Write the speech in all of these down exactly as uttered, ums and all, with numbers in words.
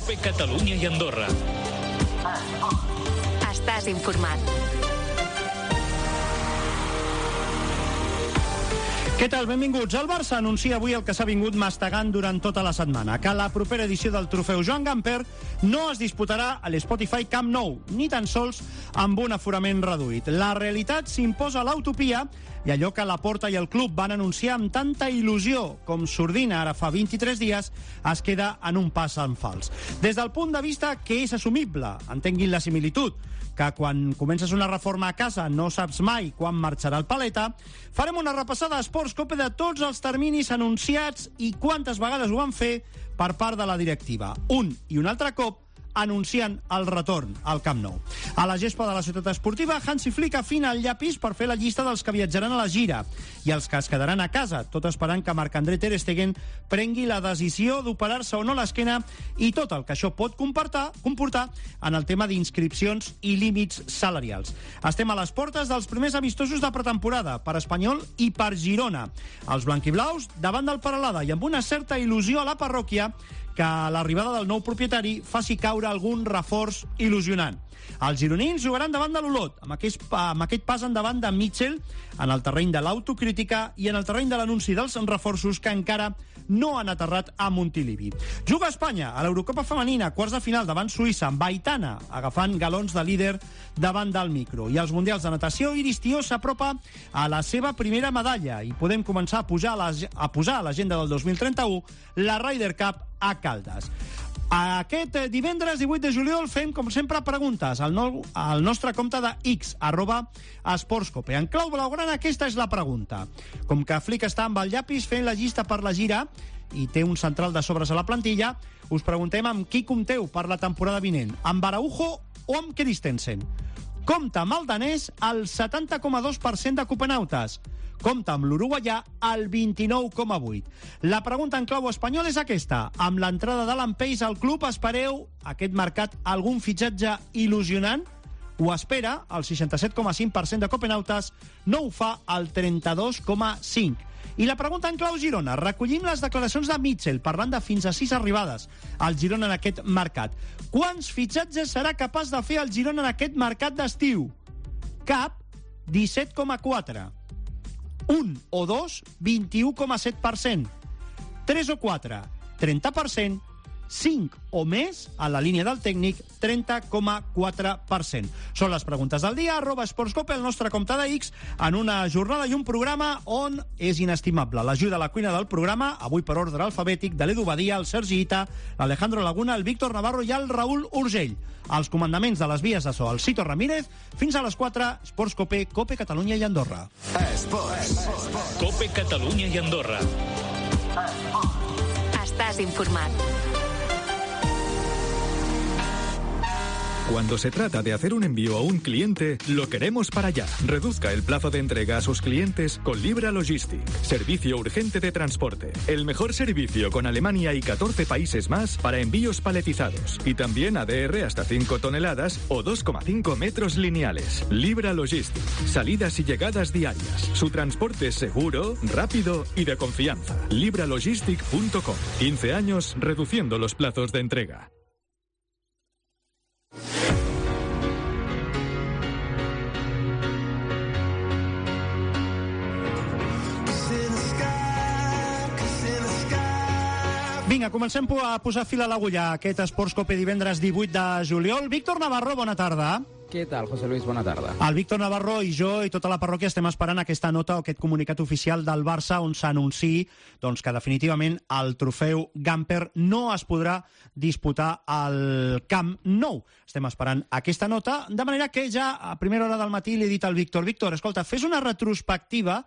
COPE Catalunya i Andorra. Estàs informat. Què tal? Benvinguts. El Barça anuncia avui el que s'ha vingut mastegant durant tota la setmana, que la propera edició del trofeu Joan Gamper no es disputarà a l'Spotify Camp Nou, ni tan sols amb un aforament reduït. La realitat s'imposa a l'utopia i allò que la Porta i el club van anunciar amb tanta il·lusió com sordina ara fa vint-i-tres dies es queda en un pas en fals. Des del punt de vista que és assumible, entenguin la similitud, que quan comences una reforma a casa no saps mai quan marxarà el paleta, farem una repassada a Esports Cope de tots els terminis anunciats i quantes vegades ho van fer per part de la directiva. Un i un altre cop anunciant el retorn al Camp Nou. A la gespa de la ciutat esportiva, Hansi Flick afina el llapis per fer la llista dels que viatjaran a la gira i els que es quedaran a casa, tot esperant que Marc-André Ter Stegen prengui la decisió d'operar-se o no l'esquena i tot el que això pot comportar, comportar en el tema d'inscripcions i límits salarials. Estem a les portes dels primers amistosos de pretemporada per Espanyol i per Girona. Els blanquiblaus davant del Peralada i amb una certa il·lusió a la parròquia que l'arribada del nou propietari faci caure algun reforç il·lusionant. Els gironins jugaran davant de l'Olot, amb aquest, amb aquest pas endavant de Mitchell en el terreny de l'autocrítica i en el terreny de l'anunci dels reforços que encara no han aterrat a Montilivi. Juga Espanya a l'Eurocopa femenina, quarts de final davant Suïssa, amb Aitana agafant galons de líder davant del micro. I als Mundials de Natació, Iris Tió s'apropa a la seva primera medalla i podem començar a, pujar a, la, a posar a l'agenda del dos mil trenta-u la Ryder Cup a Caldes. Aquest divendres divuit de juliol fem, com sempre, preguntes al, nou, al nostre compte de X, arroba esportscope. En clau blaugrana, aquesta és la pregunta. Com que Flick està amb el llapis fent la llista per la gira i té un central de sobres a la plantilla, us preguntem amb qui compteu per la temporada vinent, amb Araujo o amb Christensen. Compta amb el danès al setanta coma dos per cent de copenautes. Compta amb l'uruguaià al vint-i-nou coma vuit. La pregunta en clau espanyol és aquesta. Amb l'entrada d'Alan Pace al club, espereu aquest mercat algun fitxatge il·lusionant? Ho espera el seixanta-set coma cinc per cent de copenautes, no ho fa el trenta-dos coma cinc per cent. I la pregunta en clau Girona. Recollim les declaracions de Mitchell parlant de fins a sis arribades al Girona en aquest mercat. Quants fitxatges serà capaç de fer el Girona en aquest mercat d'estiu? Cap, disset coma quatre. Un o dos, vint-i-u coma set per cent. Tres o quatre, trenta per cent. Cinc o més, a la línia del tècnic, trenta coma quatre per cent. Són les preguntes del dia, arroba esportscope, el nostre compte de X, en una jornada i un programa on és inestimable l'ajuda a la cuina del programa, avui per ordre alfabètic, de l'Edu Badia, el Sergi Ita, l'Alejandro Laguna, el Víctor Navarro i el Raül Urgell. Els comandaments de les vies de so, el Cito Ramírez, fins a les quatre, Esportscope, Cope Catalunya i Andorra. Esports. Cope Catalunya i Andorra. Estàs informat. Cuando se trata de hacer un envío a un cliente, lo queremos para allá. Reduzca el plazo de entrega a sus clientes con Libra Logistic. Servicio urgente de transporte. El mejor servicio con Alemania y catorce países más para envíos paletizados. Y también A D R hasta cinco toneladas o dos coma cinco metros lineales. Libra Logistic. Salidas y llegadas diarias. Su transporte es seguro, rápido y de confianza. libralogistic punto com. quince años reduciendo los plazos de entrega. Vinga, comencem a posar fil a l'agulla a aquest Esports Cope divendres divuit de juliol. Víctor Navarro, bona tarda. Què tal, José Luis? Bona tarda. El Víctor Navarro i jo i tota la parròquia estem esperant aquesta nota o aquest comunicat oficial del Barça on s'anunciï doncs, que definitivament el trofeu Gamper no es podrà disputar al Camp Nou. Estem esperant aquesta nota, de manera que ja a primera hora del matí li he dit al Víctor, Víctor, escolta, fes una retrospectiva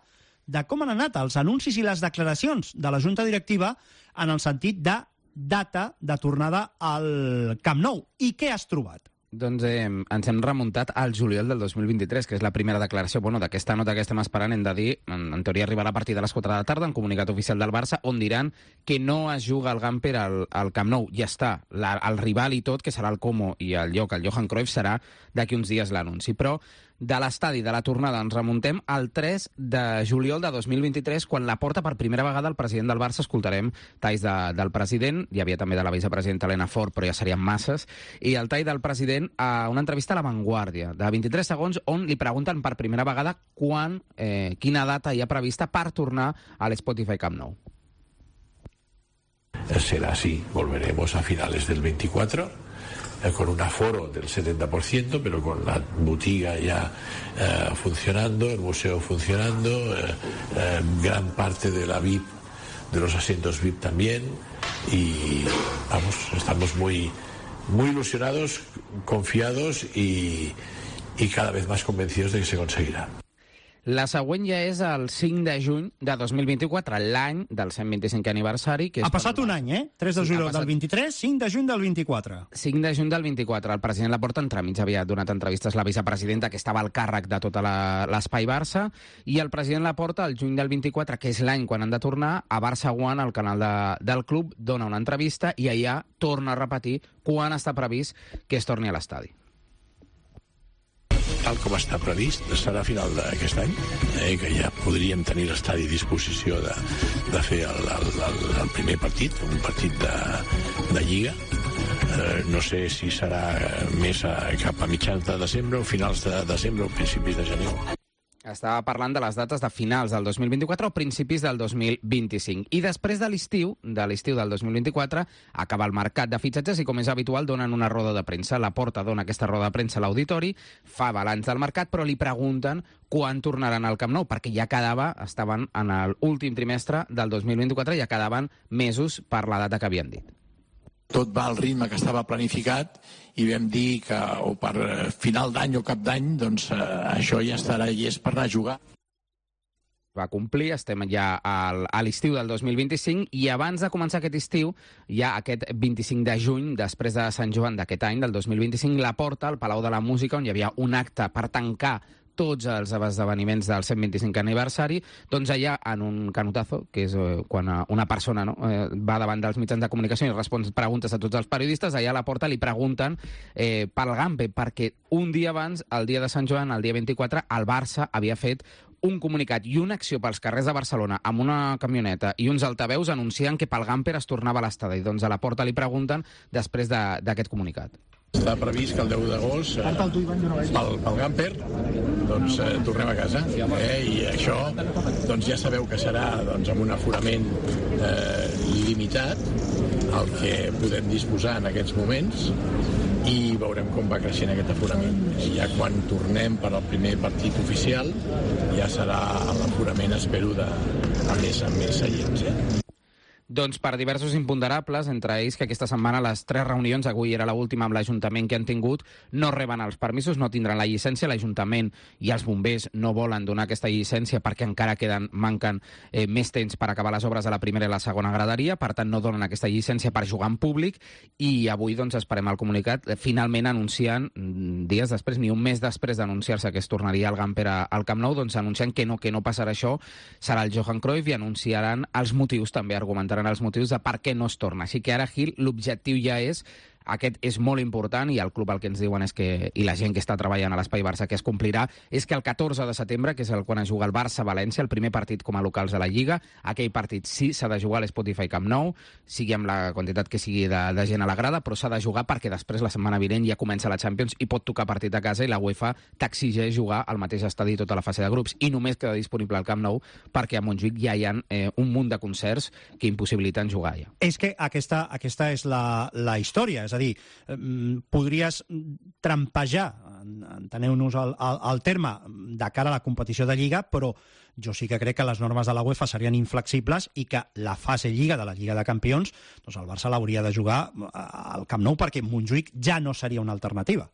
de com han anat els anuncis i les declaracions de la Junta Directiva en el sentit de data de tornada al Camp Nou. I què has trobat? Doncs eh, ens hem remuntat al juliol del dos mil vint-i-tres, que és la primera declaració bueno, d'aquesta nota que estem esperant. Hem de dir, en, en teoria arribarà a partir de les quatre de la tarda, en comunicat oficial del Barça, on diran que no es juga el Gamper al, al Camp Nou. Ja està, la, el rival i tot, que serà el Como i el lloc, el Johan Cruyff, serà d'aquí uns dies l'anunci. Però de l'estadi de la tornada ens remuntem al tres de juliol de dos mil vint-i-tres, quan la porta per primera vegada el president del Barça. Escoltarem talls de, del president, hi havia també de la vicepresidenta Elena Fort, però ja serien masses, i el tall del president a una entrevista a La Vanguardia, de vint-i-tres segons, on li pregunten per primera vegada quan, eh, quina data hi ha prevista per tornar a l'Spotify Camp Nou. Será así, volveremos a finales del veinticuatro, eh, con un aforo del setenta por ciento, pero con la botiga ya eh, funcionando, el museo funcionando, eh, eh, gran parte de la V I P, de los asientos V I P también, y vamos, estamos muy, muy ilusionados, confiados y, y cada vez más convencidos de que se conseguirá. La següent ja és el cinc de juny de dos mil vint-i-quatre, l'any del cent vint-i-cinquè aniversari. Que és ha passat un any, eh? tres de juliol del vint-i-tres, cinc de juny del vint-i-quatre. cinc de juny del vint-i-quatre. El president Laporta entremig havia donat entrevistes a la vicepresidenta, que estava al càrrec de tot l'espai Barça, i el president Laporta, el juny del vint-i-quatre, que és l'any quan han de tornar, a Barça One, al canal de, del club, dona una entrevista i allà torna a repetir quan està previst que es torni a l'estadi. Tal com està previst, serà a final d'aquest any, eh, que ja podríem tenir l'estadi a disposició de, de fer el, el, el, el primer partit, un partit de, de Lliga. Eh, no sé si serà més a, cap a mitjans de desembre o finals de desembre o principis de gener. Estava parlant de les dates de finals del dos mil vint-i-quatre o principis del dos mil vint-i-cinc. I després de l'estiu, de l'estiu del dos mil vint-i-quatre, acaba el mercat de fitxatges i, com és habitual, donen una roda de premsa. Laporta dona aquesta roda de premsa a l'auditori, fa balanç del mercat, però li pregunten quan tornaran al Camp Nou, perquè ja quedava, estaven en l'últim trimestre del dos mil vint-i-quatre, ja quedaven mesos per la data que havien dit. Tot va al ritme que estava planificat i vam dir que o per final d'any o cap d'any, doncs eh, això ja estarà llest per anar a jugar. Va complir, estem ja al, a l'estiu del dos mil vint-i-cinc, i abans de començar aquest estiu, ja aquest vint-i-cinc de juny, després de Sant Joan d'aquest any, del dos mil vint-i-cinc, Laporta al Palau de la Música, on hi havia un acte per tancar tots els esdeveniments del cent vint-i-cinquè aniversari, doncs allà en un canotazo, que és eh, quan una persona no, eh, va davant dels mitjans de comunicació i respon preguntes a tots els periodistes, allà a la porta li pregunten eh, pel Gampe, perquè un dia abans, el dia de Sant Joan, el dia vint-i-quatre, el Barça havia fet un comunicat i una acció pels carrers de Barcelona amb una camioneta i uns altaveus anunciant que pel Gamper es tornava a l'estadi. Doncs a la porta li pregunten després d'aquest comunicat. Està previst que el deu d'agost, eh, pel, pel Gamper, doncs eh, tornem a casa. Eh, I això doncs, ja sabeu que serà doncs, amb un aforament eh, limitat, el que podem disposar en aquests moments, i veurem com va creixent aquest aforament. I ja quan tornem per al primer partit oficial, ja serà l'aforament, espero, de a més a més seients. Eh? Doncs per diversos imponderables, entre ells que aquesta setmana les tres reunions, avui era l'última amb l'Ajuntament que han tingut, no reben els permisos, no tindran la llicència. L'Ajuntament i els bombers no volen donar aquesta llicència perquè encara queden, manquen eh, més temps per acabar les obres a la primera i la segona graderia, per tant no donen aquesta llicència per jugar en públic, i avui doncs esperem el comunicat. Finalment anunciant, dies després, ni un mes després d'anunciar-se que es tornaria al Gamper al Camp Nou, doncs anunciant que no, que no passarà això, serà el Johan Cruyff, i anunciaran els motius, també argumentaran els motius de per què no es torna. Així que ara, Gil, l'objectiu ja és, aquest és molt important, i el club el que ens diuen és que, i la gent que està treballant a l'Espai Barça que es complirà, és que el catorze de setembre, que és el quan es juga el Barça-València, el primer partit com a locals de la Lliga, aquell partit sí s'ha de jugar a l'Spotify Camp Nou, sigui amb la quantitat que sigui de, de gent a la grada, però s'ha de jugar perquè després la setmana vinent ja comença la Champions i pot tocar partit a casa, i la UEFA t'exigeix jugar al mateix estadi tota la fase de grups, i només queda disponible al Camp Nou perquè a Montjuïc ja hi ha eh, un munt de concerts que impossibiliten jugar ja. És que aquesta, aquesta és la, la història, és a dir, podries trampejar, enteneu-nos el, el, el terme, de cara a la competició de Lliga, però jo sí que crec que les normes de la UEFA serien inflexibles i que la fase Lliga de la Lliga de Campions, doncs el Barça l'hauria de jugar al Camp Nou, perquè Montjuïc ja no seria una alternativa.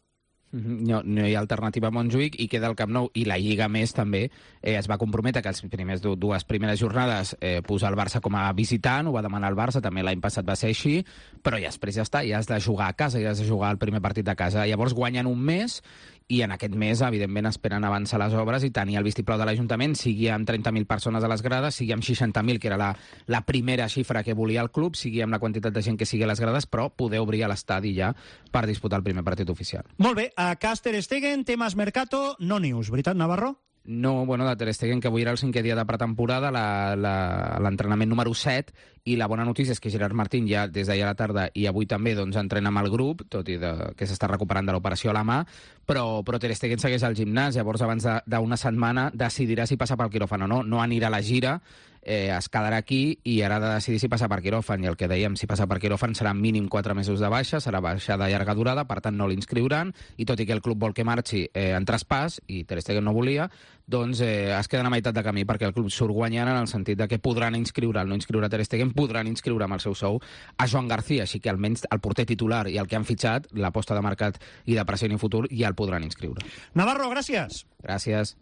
No, no hi ha alternativa a Montjuïc i queda el Camp Nou, i la Lliga més també eh, es va comprometre que els primers dues primeres jornades eh, posar el Barça com a visitant, ho va demanar el Barça, també l'any passat va ser així, però ja després ja està, ja has de jugar a casa, ja has de jugar el primer partit a casa. Llavors guanyen un mes i en aquest mes, evidentment, esperen avançar les obres i tenir el vistiplau de l'Ajuntament, sigui amb trenta mil persones a les grades, sigui amb seixanta mil, que era la, la primera xifra que volia el club, sigui amb la quantitat de gent que sigui a les grades, però poder obrir a l'estadi ja per disputar el primer partit oficial. Molt bé, a Ter Stegen, temes Mercato, no news, veritat, Navarro? No, bueno, de Ter Stegen, que avui era el cinquè dia de pretemporada, l'entrenament número set, i la bona notícia és que Gerard Martín ja des d'ahir a la tarda i avui també doncs, entrena amb el grup, tot i de, que s'està recuperant de l'operació a la mà, però, però Ter Stegen segueix al gimnàs, llavors abans d'una setmana decidirà si passa pel quiròfan o no, no anirà a la gira, eh, es quedarà aquí i ara ha de decidir si passa per quiròfan, i el que dèiem, si passa per quiròfan serà mínim quatre mesos de baixa, serà baixa de llarga durada, per tant no l'inscriuran, i tot i que el club vol que marxi eh, en traspàs, i Ter Stegen no volia, doncs eh, es queden a meitat de camí, perquè el club surt guanyant en el sentit de que podran inscriure, el no inscriure Ter Stegen, podran inscriure amb el seu sou a Joan García, així que almenys el porter titular i el que han fitxat, l'aposta de mercat i de present i futur, ja el podran inscriure. Navarro, gràcies. Gràcies.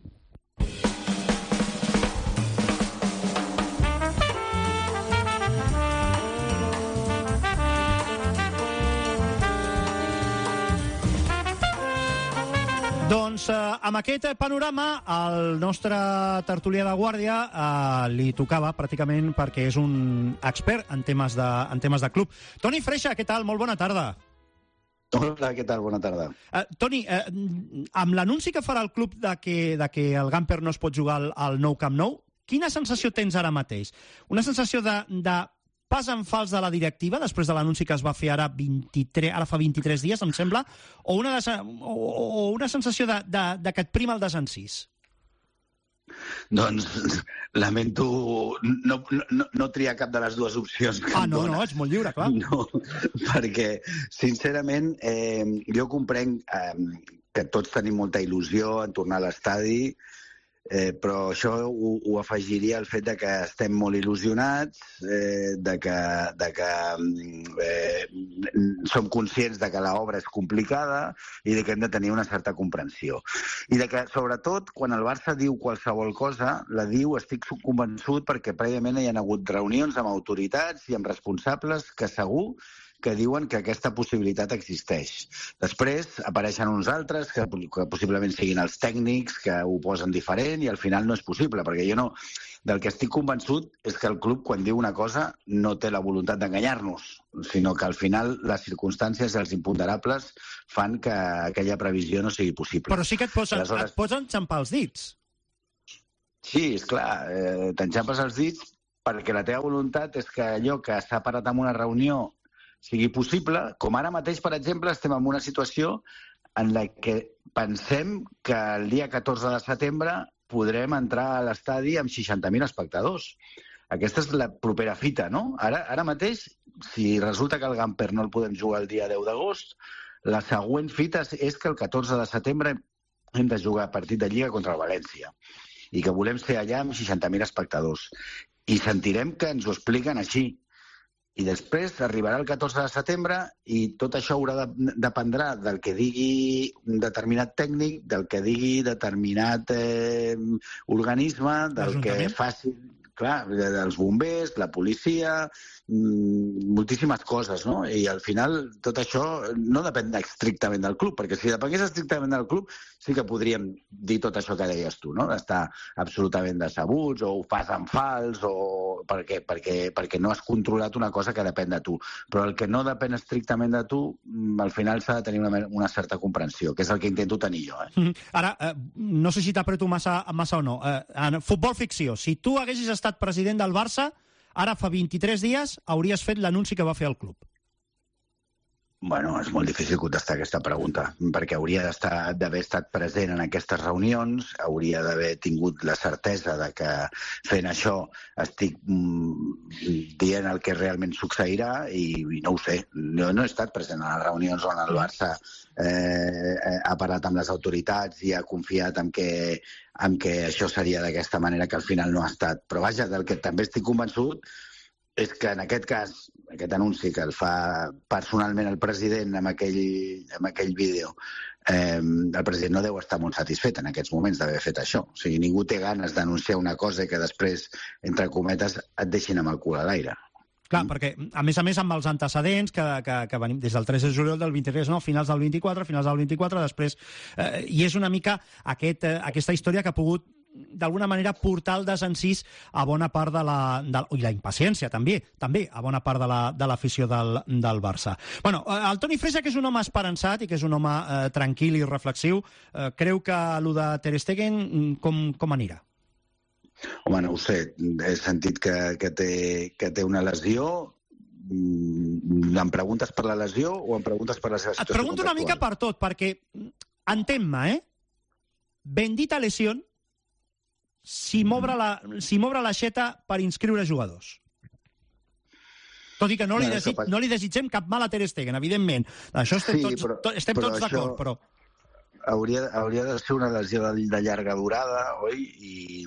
Doncs eh, amb aquest panorama al nostre tertulià de guàrdia eh, li tocava pràcticament perquè és un expert en temes de, en temes de club. Toni Freixa, què tal? Molt bona tarda. Hola, què tal? Bona tarda. Uh, Toni, uh, amb l'anunci que farà el club de que, de que el Gamper no es pot jugar al, al nou Camp Nou, quina sensació tens ara mateix? Una sensació de, de pas en fals de la directiva, després de l'anunci que es va fer ara, vint-i-tres, ara fa vint-i-tres dies, em sembla, o una, de, o, o una sensació de, de, de que et prima el desencís? Doncs lamento no, no, no triar cap de les dues opcions que ah, em no, dona. no, ets molt lliure, clar. No, perquè, sincerament, eh, jo comprenc eh, que tots tenim molta il·lusió en tornar a l'estadi, Eh, però això ho, ho afegiria al fet de que estem molt il·lusionats, eh, de que, de que eh, som conscients de que l'obra és complicada i de que hem de tenir una certa comprensió. I de que, sobretot, quan el Barça diu qualsevol cosa, la diu, estic convençut, perquè prèviament hi ha hagut reunions amb autoritats i amb responsables que segur que diuen que aquesta possibilitat existeix. Després apareixen uns altres que, que possiblement siguin els tècnics que ho posen diferent i al final no és possible, perquè jo no... Del que estic convençut és que el club, quan diu una cosa, no té la voluntat d'enganyar-nos, sinó que al final les circumstàncies i els imponderables fan que aquella previsió no sigui possible. Però sí que et posen, Aleshores... et posen xampar els dits. Sí, esclar, eh, t'enxampes els dits perquè la teva voluntat és que allò que s'ha parat en una reunió sigui possible, com ara mateix, per exemple, estem en una situació en la que pensem que el dia catorze de setembre podrem entrar a l'estadi amb seixanta mil espectadors. Aquesta és la propera fita, no? Ara, ara mateix, si resulta que el Gamper no el podem jugar el dia deu d'agost, la següent fita és que el catorze de setembre hem de jugar partit de Lliga contra el València i que volem ser allà amb seixanta mil espectadors. I sentirem que ens ho expliquen així. I després arribarà el catorze de setembre i tot això haurà de dependrà del que digui un determinat tècnic, del que digui determinat eh, organisme, del que faci, clar, dels bombers, la policia, mmm, moltíssimes coses, no? I al final tot això no depèn estrictament del club, perquè si depengués estrictament del club sí que podríem dir tot això que deies tu, no? D'estar absolutament decebuts o ho fas en fals o perquè, perquè, perquè no has controlat una cosa que depèn de tu. Però el que no depèn estrictament de tu, al final s'ha de tenir una, una certa comprensió, que és el que intento tenir jo. Eh? Ara, eh, no sé si t'apreto massa, massa o no. Eh, en futbol ficció, si tu haguessis estat president del Barça, ara fa vint-i-tres dies hauries fet l'anunci que va fer el club. Bueno, és molt difícil contestar aquesta pregunta, perquè hauria d'estar d'haver estat present en aquestes reunions, hauria d'haver tingut la certesa de que fent això estic mm, dient el que realment succeirà i, i no ho sé. Jo no he estat present a les reunions on el Barça eh, ha parlat amb les autoritats i ha confiat en que, en que això seria d'aquesta manera, que al final no ha estat. Però vaja, del que també estic convençut és que en aquest cas, aquest anunci que el fa personalment el president amb aquell, amb aquell vídeo, eh, el president no deu estar molt satisfet en aquests moments d'haver fet això. O sigui, ningú té ganes d'anunciar una cosa que després, entre cometes, et deixin amb el cul a l'aire. Clar, perquè, a més a més, amb els antecedents que, que, que venim des del tres de juliol del vint-i-tres, no? Finals del vint-i-quatre, finals del vint-i-quatre, després... Eh, I és una mica aquest, eh, aquesta història que ha pogut, d'alguna manera, portar el desencís a bona part de la... De, i la impaciència, també, també a bona part de l'afició la, del, del Barça. Bueno, el Toni Freixa, que és un home esperançat i que és un home eh, tranquil i reflexiu, eh, creu que el de Ter Stegen com, com anirà? Home, no ho sé. He sentit que, que, té, que té una lesió. Em preguntes per la lesió o em preguntes per la seva situació? Et pregunto una mica per tot, perquè entén-me, eh? Bendita lesió si m'obre la, si m'obre l'aixeta per inscriure jugadors. Tot i que no li, desig, no li desitgem cap mal a Ter Stegen, evidentment. Això estem sí, tots, però, to, estem però tots d'acord, però... Hauria, hauria de ser una lesió de, de llarga durada, oi? I,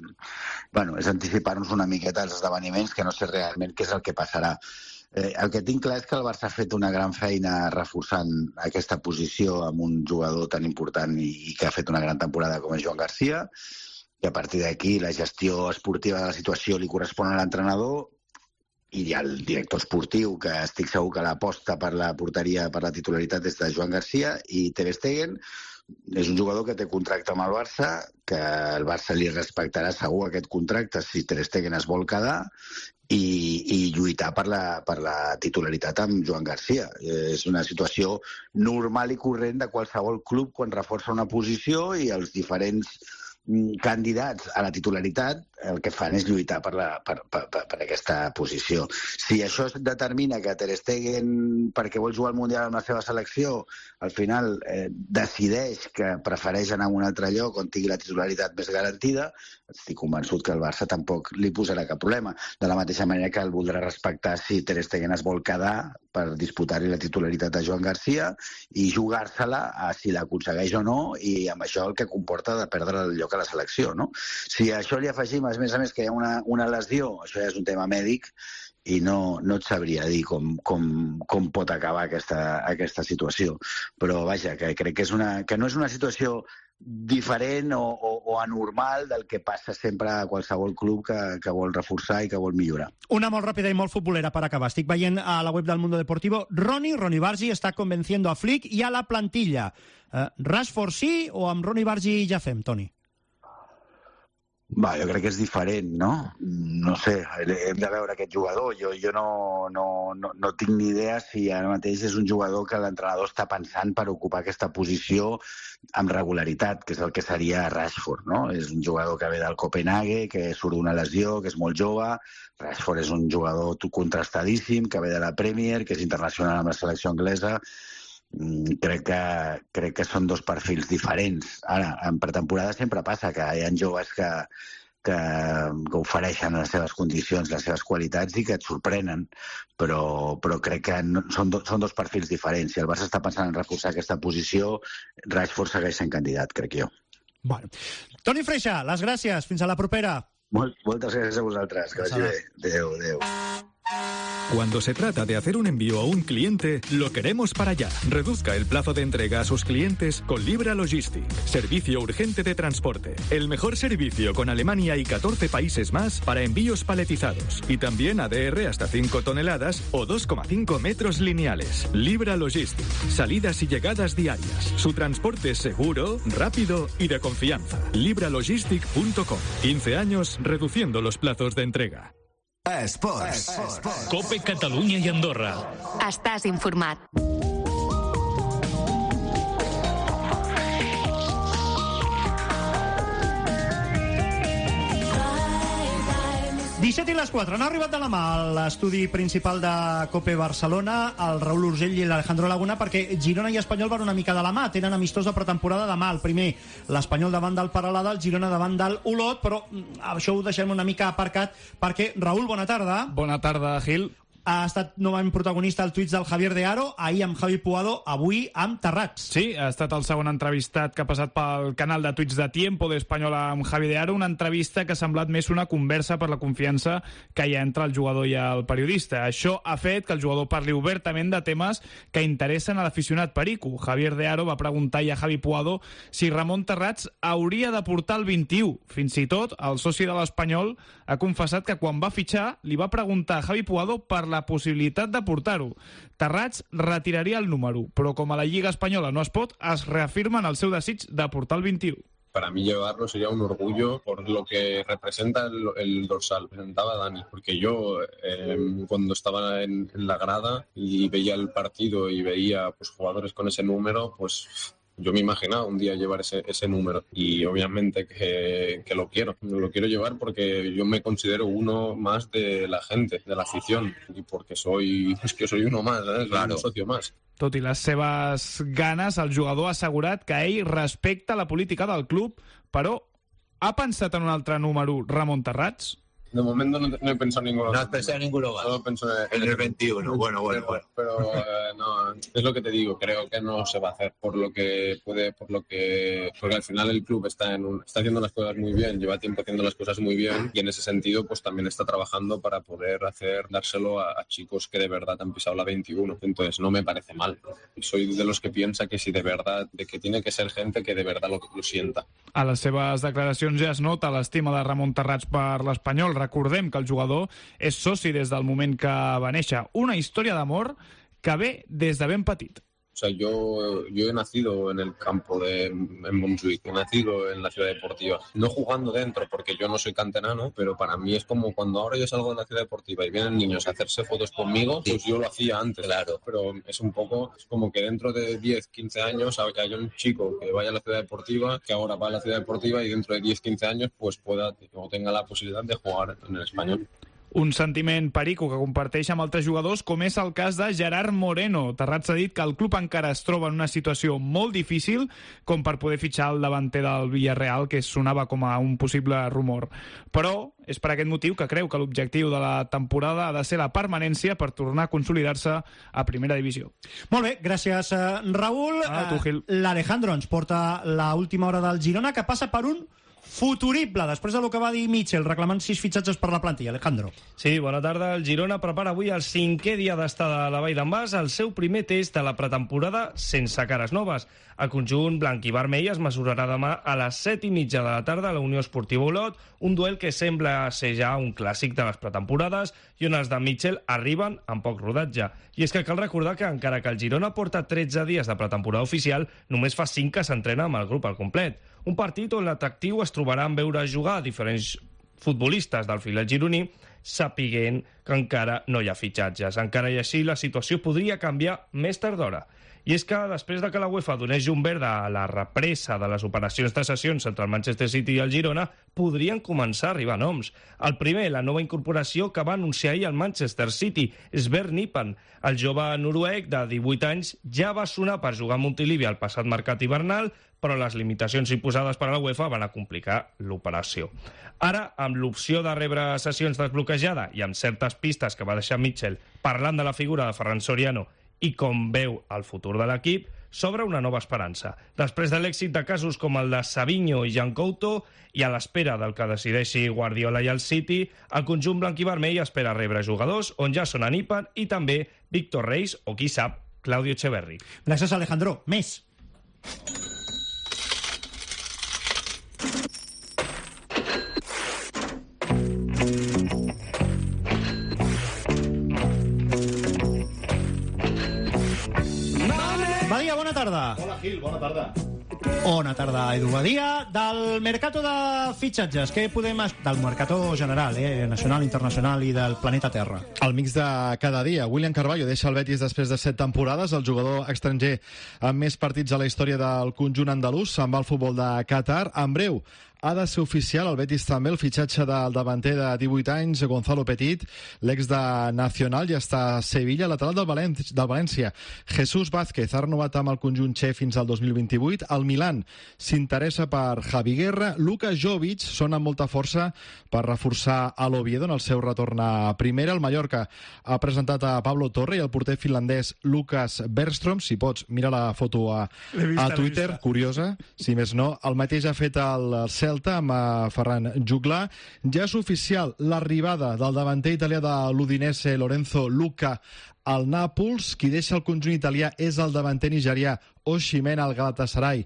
bueno, és anticipar-nos una miqueta als esdeveniments, que no sé realment què és el que passarà. Eh, el que tinc clar és que el Barça ha fet una gran feina reforçant aquesta posició amb un jugador tan important i, i que ha fet una gran temporada com és Joan Garcia, i a partir d'aquí la gestió esportiva de la situació li correspon a l'entrenador i hi ha el director esportiu, que estic segur que l'aposta per la porteria, per la titularitat és de Joan Garcia, i Ter Stegen és un jugador que té contracte amb el Barça, que el Barça li respectarà segur aquest contracte si Ter Stegen es vol quedar, i, i lluitar per la, per la titularitat amb Joan Garcia. És una situació normal i corrent de qualsevol club quan reforça una posició i els diferents candidats a la titularitat el que fan és lluitar per, la, per, per, per aquesta posició. Si això determina que Ter Stegen, perquè vol jugar al Mundial amb la seva selecció, al final eh, decideix que prefereix anar a un altre lloc on tingui la titularitat més garantida, estic convençut que el Barça tampoc li posarà cap problema. De la mateixa manera que el voldrà respectar si Ter Stegen es vol quedar per disputar-hi la titularitat a Joan Garcia i jugar-se-la a si l'aconsegueix o no, i amb això el que comporta de perdre el lloc a la selecció, no? Si a això li afegim, a més a més, que hi ha una, una lesió, això ja és un tema mèdic, i no, no et sabria dir com, com, com pot acabar aquesta, aquesta situació. Però, vaja, que crec que, és una, que no és una situació diferent o, o, o anormal del que passa sempre a qualsevol club que, que vol reforçar i que vol millorar. Una molt ràpida i molt futbolera per acabar. Estic veient a la web del Mundo Deportivo, Ronnie, Ronnie Bargi està convenciendo a Flick i a la plantilla. Uh, Rashford sí o amb Ronnie Bargi ja fem, Toni? Va, jo crec que és diferent, no? No sé, hem de veure aquest jugador. Jo, jo no, no, no, no tinc ni idea si ara mateix és un jugador que l'entrenador està pensant per ocupar aquesta posició amb regularitat, que és el que seria Rashford, no? És un jugador que ve del Copenhague, que surt d'una lesió, que és molt jove. Rashford és un jugador contrastadíssim, que ve de la Premier, que és internacional amb la selecció anglesa. Crec que, crec que són dos perfils diferents. Ara, en pretemporada sempre passa que hi ha joves que, que, que ofereixen les seves condicions, les seves qualitats i que et sorprenen, però, però crec que no, són, do, són dos perfils diferents. Si el Barça està pensant en reforçar aquesta posició, Rashford segueix sent candidat, crec jo. Bueno. Toni Freixa, les gràcies. Fins a la propera. Molt, moltes gràcies a vosaltres. Que vagi bé. Adéu, adéu. Cuando se trata de hacer un envío a un cliente, lo queremos para allá. Reduzca el plazo de entrega a sus clientes con Libra Logistic. Servicio urgente de transporte. El mejor servicio con Alemania y catorce países más para envíos paletizados. Y también A D R hasta cinco toneladas o dos coma cinco metros lineales. Libra Logistic. Salidas y llegadas diarias. Su transporte es seguro, rápido y de confianza. libra logistic punto com. quince años reduciendo los plazos de entrega. Esports. Cope Catalunya i Andorra. Estàs informat. disset i les quatre. Han arribat de la mà a l'estudi principal de Cope Barcelona el Raül Urgell i l'Alejandro Laguna, perquè Girona i Espanyol van una mica de la mà. Tenen amistós de pretemporada demà. El primer, l'Espanyol davant del Peralada, el Girona davant del Olot, però això ho deixem una mica aparcat perquè, Raül, bona tarda. Bona tarda, Gil. Ha estat novament protagonista el tuit del Javier de Aro, ahir amb Javi Puado, avui amb Terrats. Sí, ha estat el segon entrevistat que ha passat pel canal de tuits de Tiempo d'Espanyol amb Javi de Aro, una entrevista que ha semblat més una conversa per la confiança que hi ha entre el jugador i el periodista. Això ha fet que el jugador parli obertament de temes que interessen a l'aficionat perico. Javier de Aro va preguntar a Javi Puado si Ramon Terrats hauria de portar el vint-i-u. Fins i tot, el soci de l'Espanyol ha confessat que quan va fitxar li va preguntar a Javi Puado per la possibilitat de portar-ho. Terrats retiraria el número, però com a la Lliga Espanyola no es pot, es reafirma en el seu desig de portar el vint-i-u. Para mí llevarlo sería un orgullo por lo que representa el, el dorsal, presentaba Dani, porque yo eh, cuando estaba en, en la grada y veía el partido y veía pues jugadores con ese número, pues yo me imaginaba un día llevar ese, ese número y obviamente que, que lo quiero, lo quiero llevar porque yo me considero uno más de la gente, de la afición y porque soy, es que soy uno más, ¿eh? Claro. Un socio más. Tot i les seves ganes, el jugador ha assegurat que ell respecta la política del club, però ha pensat en un altre número, Ramon Terrats? De momento no, no he pensado en ninguno. No has pensado en ninguno más. Solo pienso en, en el veintiuno. Bueno, bueno, bueno. Pero eh, no, es lo que te digo. Creo que no se va a hacer por lo que puede, por lo que, porque al final el club está en un, está haciendo las cosas muy bien, lleva tiempo haciendo las cosas muy bien y en ese sentido, pues también está trabajando para poder hacer dárselo a, a chicos que de verdad han pisado la veintiuno. Entonces no me parece mal. Soy de los que piensa que si de verdad, de que tiene que ser gente que de verdad lo, lo sienta. A les seves declaracions ja es nota l'estima de Ramon Terrats per l'Espanyol. Recordem que el jugador és soci des del moment que va néixer. Una història d'amor que ve des de ben petit. O sea, yo, yo he nacido en el campo de en Montjuïc, he nacido en la ciudad deportiva. No jugando dentro, porque yo no soy canterano, pero para mí es como cuando ahora yo salgo de la ciudad deportiva y vienen niños a hacerse fotos conmigo, pues yo lo hacía antes. Claro. Pero es un poco, es como que dentro de diez, quince años haya un chico que vaya a la ciudad deportiva, que ahora va a la ciudad deportiva y dentro de diez, quince años pues pueda o tenga la posibilidad de jugar en el Español. Un sentiment perico que comparteix amb altres jugadors, com és el cas de Gerard Moreno. Terrats ha dit que el club encara es troba en una situació molt difícil com per poder fitxar el davanter del Villarreal, que sonava com a un possible rumor. Però és per aquest motiu que creu que l'objectiu de la temporada ha de ser la permanència per tornar a consolidar-se a primera divisió. Molt bé, gràcies, Raül. Ah, tu, Gil. L'Alejandro ens porta l'última hora del Girona, que passa per un futurible, després del que va dir Mitchell, reclamant sis fitxatges per la plantilla. Alejandro. Sí, bona tarda. El Girona prepara avui el cinquè dia d'estada a la Vall d'en Bas, el seu primer test de la pretemporada sense cares noves. El conjunt blanc i vermell es mesurarà demà a les set i mitja de la tarda a la Unió Esportiva Olot, un duel que sembla ser ja un clàssic de les pretemporades i on els de Mitchell arriben amb poc rodatge. I és que cal recordar que encara que el Girona porta tretze dies de pretemporada oficial, només fa cinc que s'entrena amb el grup al complet. Un partit on l'atractiu es trobarà en veure jugar a diferents futbolistes del filet gironí, sapiguent que encara no hi ha fitxatges. Encara i així, la situació podria canviar més tard d'hora. I és que després de que la UEFA donés llum verda a la represa de les operacions de cessions entre el Manchester City i el Girona, podrien començar a arribar noms. El primer, la nova incorporació que va anunciar ahir el Manchester City, Sver Nipan. El jove noruec de divuit anys ja va sonar per jugar a Montilivi al passat mercat hivernal, però les limitacions imposades per a la UEFA van a complicar l'operació. Ara, amb l'opció de rebre sessions desbloquejada i amb certes pistes que va deixar Mitchell parlant de la figura de Ferran Soriano i com veu el futur de l'equip, s'obre una nova esperança. Després de l'èxit de casos com el de Savinho i Jan Couto i a l'espera del que decideixi Guardiola i el City, el conjunt blanc i vermell espera rebre jugadors on ja són Anipan i també Víctor Reis o, qui sap, Claudio Echeverri. Gràcies, Alejandro. Més. Badia, bona tarda. Hola, Gil, bona tarda. Bona tarda, Edu Badia. Del mercato de fitxatges, què podem... Del mercato general, eh? Nacional, internacional i del planeta Terra. El mix de cada dia. William Carvalho deixa el Betis després de set temporades. El jugador estranger amb més partits a la història del conjunt andalús se'n va al futbol de Qatar. En breu, ha de ser oficial al Betis també el fitxatge del davanter de divuit anys, Gonzalo Petit, l'ex de Nacional, ja està a Sevilla, lateral del, Valent del València. Jesús Vázquez ha renovat amb el conjunt txec fins al dos mil vint-i-vuit. El Milan s'interessa per Javi Guerra. Luka Jovic sona amb molta força per reforçar a l'Oviedo en el seu retorn a primera. El Mallorca ha presentat a Pablo Torre i el porter finlandès Lukas Bergström. Si pots, mira la foto a, a Twitter, curiosa, si més no. El mateix ha fet el Celta amb Ferran Juglar. Ja és oficial l'arribada del davanter italià de l'Udinese, Lorenzo Luca, al Nàpols. Qui deixa el conjunt italià és el davanter nigerià Osimhen al Galatasaray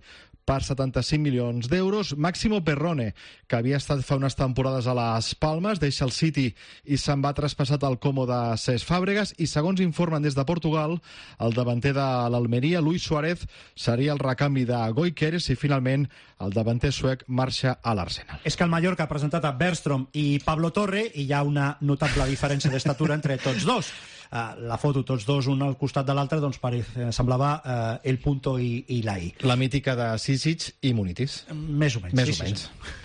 per setanta-cinc milions d'euros. Máximo Perrone, que havia estat fa unes temporades a les Palmes, deixa el City i se'n va traspassat al Como de Cesc Fàbregas, i segons informen des de Portugal, el davanter de l'Almeria, Luis Suárez, seria el recanvi de Gyökeres, i finalment el davanter suec marxa a l'Arsenal. És que el Mallorca ha presentat a Bergström i Pablo Torre i hi ha una notable diferència d'estatura entre tots dos. Uh, la foto, tots dos, un al costat de l'altre, doncs parece, semblava uh, el punto i, i la i. La mítica de Sisic i Munitis. Més o menys. Més sí, o menys. Sí, sí.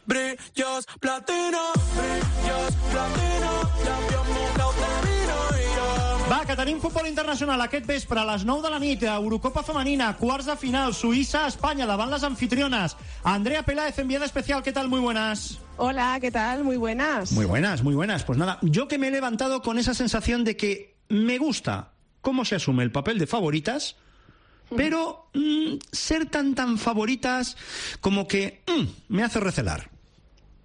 Brillos platino, brillos platino, va, que tenim futbol internacional aquest vespre a les nou de la nit, Eurocopa femenina, quarts de final, Suïssa-Espanya davant les anfitriones. Andrea Peláez, enviada especial, ¿qué tal? Muy buenas. Hola, ¿qué tal? Muy buenas. Muy buenas, muy buenas. Pues nada, yo que me he levantado con esa sensación de que me gusta cómo se asume el papel de favoritas, pero mmm, ser tan tan favoritas como que mmm, me hace recelar.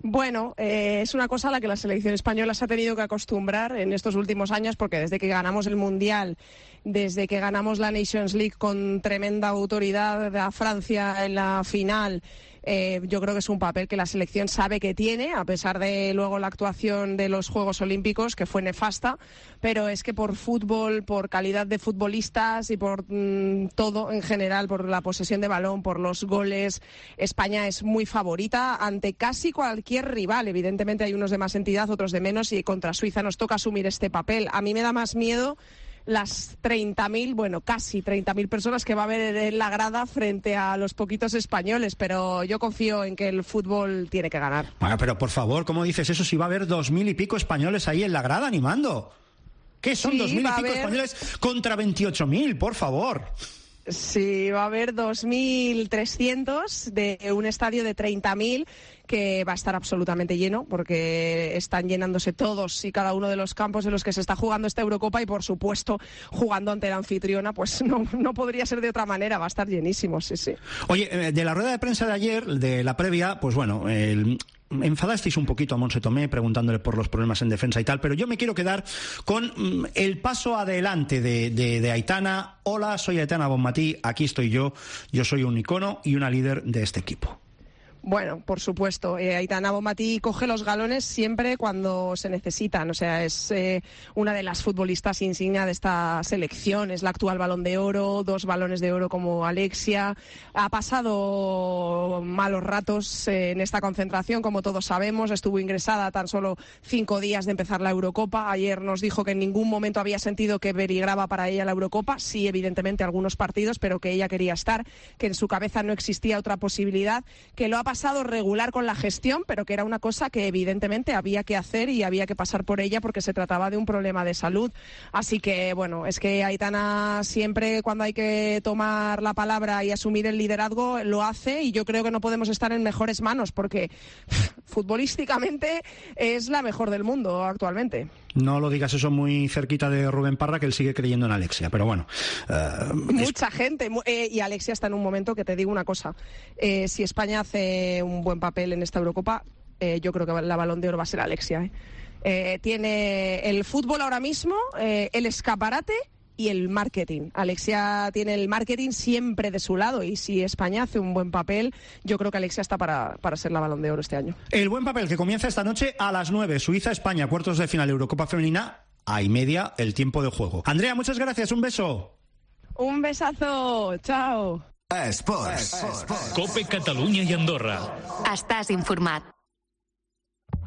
Bueno, eh, es una cosa a la que la selección española se ha tenido que acostumbrar en estos últimos años, porque desde que ganamos el Mundial, desde que ganamos la Nations League con tremenda autoridad a Francia en la final, Eh, yo creo que es un papel que la selección sabe que tiene, a pesar de luego la actuación de los Juegos Olímpicos, que fue nefasta, pero es que por fútbol, por calidad de futbolistas y por mmm, todo en general, por la posesión de balón, por los goles, España es muy favorita ante casi cualquier rival. Evidentemente hay unos de más entidad, otros de menos, y contra Suiza nos toca asumir este papel. A mí me da más miedo las treinta mil, bueno, casi treinta mil personas que va a haber en la grada frente a los poquitos españoles, pero yo confío en que el fútbol tiene que ganar. Bueno, pero por favor, ¿cómo dices eso si va a haber dos mil y pico españoles ahí en la grada animando? ¿Qué son Sí, dos mil y va a pico haber- españoles contra veintiocho mil? Por favor. Sí, va a haber dos mil trescientos de un estadio de treinta mil que va a estar absolutamente lleno, porque están llenándose todos y cada uno de los campos en los que se está jugando esta Eurocopa, y por supuesto jugando ante la anfitriona, pues no, no podría ser de otra manera, va a estar llenísimo, sí, sí. Oye, eh, de la rueda de prensa de ayer, de la previa, pues bueno, el... enfadasteis un poquito a Montse Tomé preguntándole por los problemas en defensa y tal, pero yo me quiero quedar con mm, el paso adelante de, de, de Aitana. Hola, soy Aitana Bonmatí, aquí estoy yo, yo soy un icono y una líder de este equipo. Bueno, por supuesto, eh, Aitana Bonmatí coge los galones siempre cuando se necesitan, o sea, es eh, una de las futbolistas insignia de esta selección, es la actual Balón de Oro, dos balones de oro como Alexia, ha pasado malos ratos eh, en esta concentración, como todos sabemos, estuvo ingresada tan solo cinco días de empezar la Eurocopa, ayer nos dijo que en ningún momento había sentido que peligraba para ella la Eurocopa, sí, evidentemente algunos partidos, pero que ella quería estar, que en su cabeza no existía otra posibilidad, que lo ha pasado pasado regular con la gestión, pero que era una cosa que evidentemente había que hacer y había que pasar por ella porque se trataba de un problema de salud. Así que, bueno, es que Aitana siempre cuando hay que tomar la palabra y asumir el liderazgo lo hace, y yo creo que no podemos estar en mejores manos porque pff, futbolísticamente es la mejor del mundo actualmente. No lo digas eso muy cerquita de Rubén Parra, que él sigue creyendo en Alexia, pero bueno. Uh, Mucha es... gente, eh, y Alexia está en un momento que te digo una cosa, eh, si España hace un buen papel en esta Eurocopa, eh, yo creo que la Balón de Oro va a ser Alexia. ¿eh? Eh, tiene el fútbol ahora mismo, eh, el escaparate y el marketing. Alexia tiene el marketing siempre de su lado, y si España hace un buen papel, yo creo que Alexia está para, para ser la Balón de Oro este año. El buen papel que comienza esta noche a las nueve, Suiza-España, cuartos de final Eurocopa femenina, a y media el tiempo de juego. Andrea, muchas gracias, un beso. Un besazo, chao. Esports. Cope Catalunya y Andorra. Estàs informat.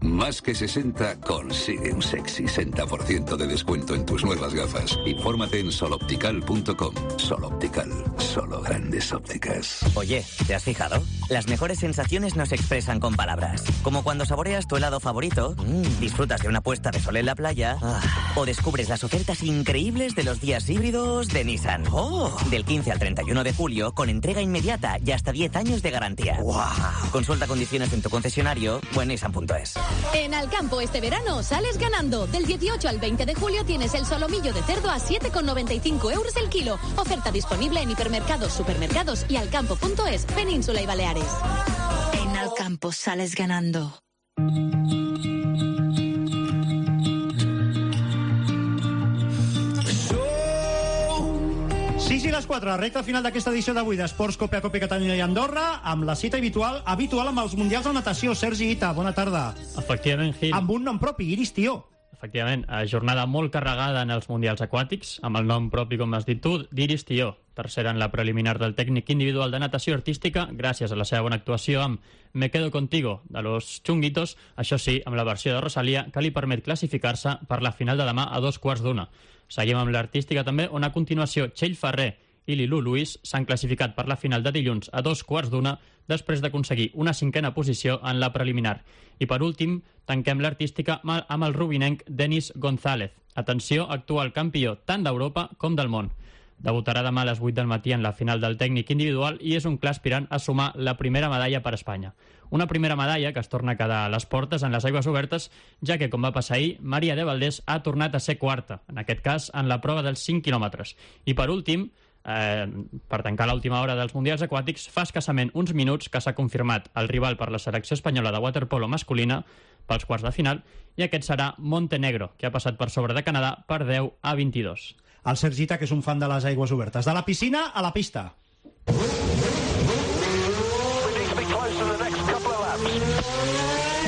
Más que sesenta consigue un sexy sesenta por ciento de descuento en tus nuevas gafas. Infórmate en soloptical punto com. Soloptical, solo grandes ópticas. Oye, ¿te has fijado? Las mejores sensaciones no se expresan con palabras. Como cuando saboreas tu helado favorito, mmm, disfrutas de una puesta de sol en la playa, ah, o descubres las ofertas increíbles de los días híbridos de Nissan. Oh. Del quince al treinta y uno de julio, con entrega inmediata y hasta diez años de garantía. Wow. Consulta condiciones en tu concesionario o en nissan punto es. En Alcampo este verano sales ganando. Del dieciocho al veinte de julio tienes el solomillo de cerdo a siete con noventa y cinco euros el kilo. Oferta disponible en hipermercados, supermercados y alcampo punto es, Península y Baleares. En Alcampo sales ganando. Sí, sí, la les quatre, recta final d'aquesta edició d'avui d'Esports Cope a Cope Catalunya i Andorra, amb la cita habitual habitual amb els Mundials de Natació. Sergi Ita, bona tarda. Efectivament, Gil. Amb un nom propi, Iris Tió. Efectivament, jornada molt carregada en els Mundials Aquàtics, amb el nom propi, com has dit tu, d'Iris Tió, tercera en la preliminar del tècnic individual de natació artística, gràcies a la seva bona actuació amb Me Quedo Contigo, de los Chunguitos, això sí, amb la versió de Rosalía, que li permet classificar-se per la final de demà a dos quarts d'una. Seguim amb l'artística també, on a continuació Txell Ferrer i Lilu Luis s'han classificat per la final de dilluns a dos quarts d'una després d'aconseguir una cinquena posició en la preliminar. I per últim, tanquem l'artística amb el rubinenc Denis González. Atenció, actual campió tant d'Europa com del món. Debutarà demà a les vuit del matí en la final del tècnic individual i és un clar aspirant a sumar la primera medalla per a Espanya. Una primera medalla que es torna a quedar a les portes en les aigües obertes, ja que, com va passar ahir, Maria de Valdés ha tornat a ser quarta, en aquest cas en la prova dels cinc quilòmetres. I per últim, Eh, per tancar l'última hora dels Mundials Aquàtics, fa escassament uns minuts que s'ha confirmat el rival per la selecció espanyola de waterpolo masculina pels quarts de final, i aquest serà Montenegro, que ha passat per sobre de Canadà per deu a vint-i-dos. El Sergita, que és un fan de les aigües obertes. De la piscina a la pista.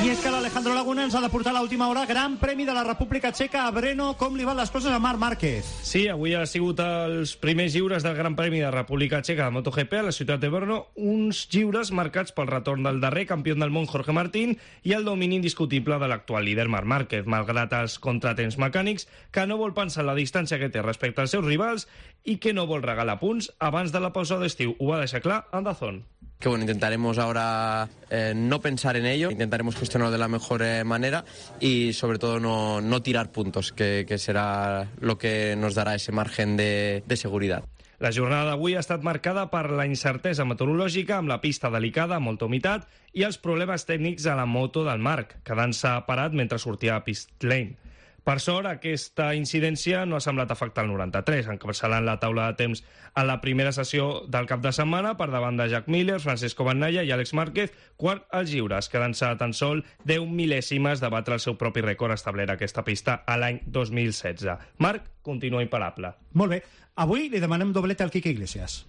I és que l'Alejandro Laguna ens ha de portar a l'última hora Gran Premi de la República Txeca a Brno. Com li van les coses a Marc Márquez? Sí, avui ha sigut els primers lliures del Gran Premi de la República Txeca de MotoGP a la ciutat de Brno, uns lliures marcats pel retorn del darrer campió del món Jorge Martín i el domini indiscutible de l'actual líder Marc Márquez, malgrat els contratemps mecànics, que no vol pensar en la distància que té respecte als seus rivals i que no vol regalar punts abans de la pausa d'estiu. Ho va deixar clar en Dazón. Que bueno, intentaremos ahora eh, no pensar en ello, intentaremos gestionarlo de la mejor eh, manera y sobre todo no, no tirar puntos, que, que será lo que nos dará ese margen de, de seguridad. La jornada d'avui ha estat marcada per la incertesa meteorològica, amb la pista delicada, amb molta humitat, i els problemes tècnics a la moto del Marc, quedant-se parat mentre sortia a pit lane. Per sort, aquesta incidència no ha semblat afectar el noranta-tres, encapçalant la taula de temps a la primera sessió del cap de setmana per davant de Jack Miller, Francesco Bagnaia i Àlex Márquez, quart als lliures, quedant-se tan sol deu mil·lèsimes de batre el seu propi rècord establert a aquesta pista a l'any dos mil setze. Marc continua imparable. Molt bé. Avui li demanem doblete al Quique Iglesias.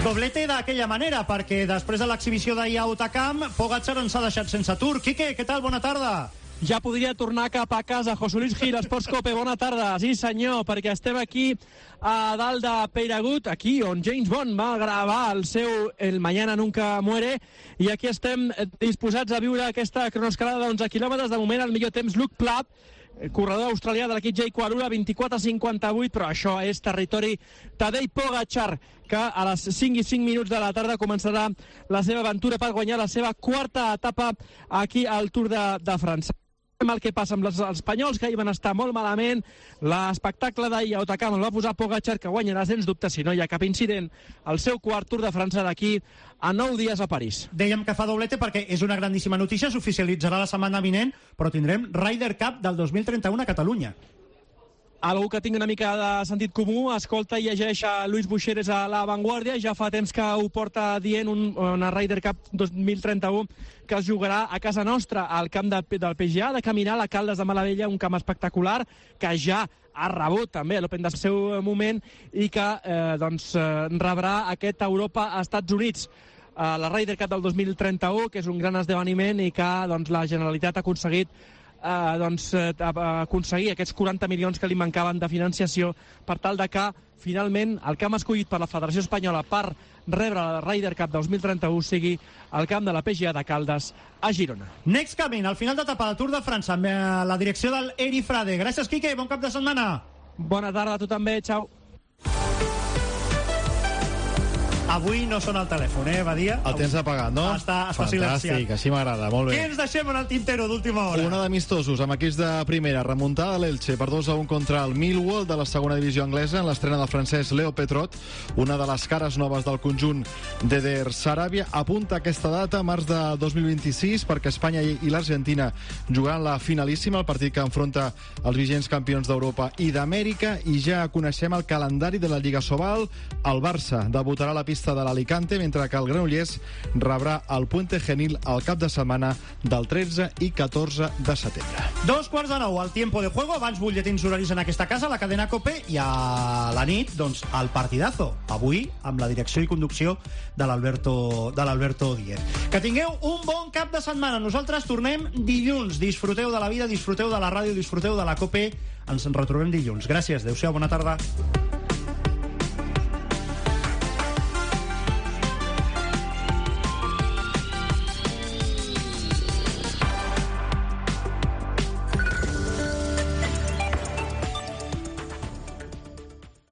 Doblete d'aquella manera, perquè després de l'exhibició d'ahir a Otacam, Pogacar ens ha deixat sense Tour. Quique, què tal? Bona tarda. Ja podria tornar cap a casa. José Luis Gil, Esports Cope, bona tarda. Sí, senyor, perquè estem aquí a dalt de Peyragut, aquí on James Bond va gravar el seu El Mañana Nunca Muere, i aquí estem disposats a viure aquesta cronoescalada d'onze quilòmetres. De moment, el millor temps, Luke Plapp, corredor australià de l'equip Jake Quarura, vint-i-quatre cinquanta-vuit, però això és territori Tadej Pogacar, que a les cinc i cinc minuts de la tarda començarà la seva aventura per guanyar la seva quarta etapa aquí al Tour de, de França. El que passa amb els espanyols, que hi van estar molt malament. L'espectacle d'ahir a Otacam el va posar Pogacar, que guanyarà sens dubte, si no hi ha cap incident, el seu quart Tour de França d'aquí a nou dies a París. Dèiem que fa doblete perquè és una grandíssima notícia, s'oficialitzarà la setmana vinent, però tindrem Ryder Cup del dos mil trenta-u a Catalunya. Algú que tingui una mica de sentit comú, escolta i llegeix a Luis Buixeres a La Vanguardia, ja fa temps que ho porta dient, un, una Ryder Cup dos mil trenta-u que es jugarà a casa nostra, al camp de, del P G A, de Caminar, a Caldes de Malavella, un camp espectacular que ja ha rebut també l'Open del seu moment i que eh, doncs, eh, rebrà aquest Europa a Estats Units. Eh, la Ryder Cup del dos mil trenta-u, que és un gran esdeveniment i que doncs, la Generalitat ha aconseguit Eh, doncs, eh, aconseguir aquests quaranta milions que li mancaven de financiació per tal de que finalment el camp escollit per la Federació Espanyola per rebre la Ryder Cup dos mil trenta-u sigui el camp de la P G A de Caldes a Girona. Next Coming, al final d'etapa del Tour de França, amb la direcció del Eri Frade. Gràcies, Quique, bon cap de setmana. Bona tarda a tu també, xau. Avui no sona el telèfon, eh, Badia? El tens apagat, no? Està, està silenciat. Fantàstic, així m'agrada, molt bé. Què ens deixem en el tintero d'última hora? Una d'amistosos amb equips de primera, remuntada a l'Elche per dos a un contra el Millwall de la segona divisió anglesa en l'estrena del francès Leo Petrot, una de les cares noves del conjunt d'Eder Sarabia. Apunta aquesta data, març de dos mil vint-i-sis, perquè Espanya i l'Argentina jugaran la finalíssima, el partit que enfronta els vigents campions d'Europa i d'Amèrica, i ja coneixem el calendari de la Lliga Sobal. El Barça debutarà a la pista pista de l'Alicante, mentre que el Granollers rebrà el Puente Genil al cap de setmana del tretze i catorze de setembre. Dos quarts de nou, al tiempo de juego, abans butlletins horaris en aquesta casa, la cadena COPE, i a la nit, doncs, el partidazo. Avui, amb la direcció i conducció de l'Alberto de l'Alberto Díez. Que tingueu un bon cap de setmana. Nosaltres tornem dilluns. Disfruteu de la vida, disfruteu de la ràdio, disfruteu de la COPE. Ens en retrobem dilluns. Gràcies, adeu-siau, bona tarda.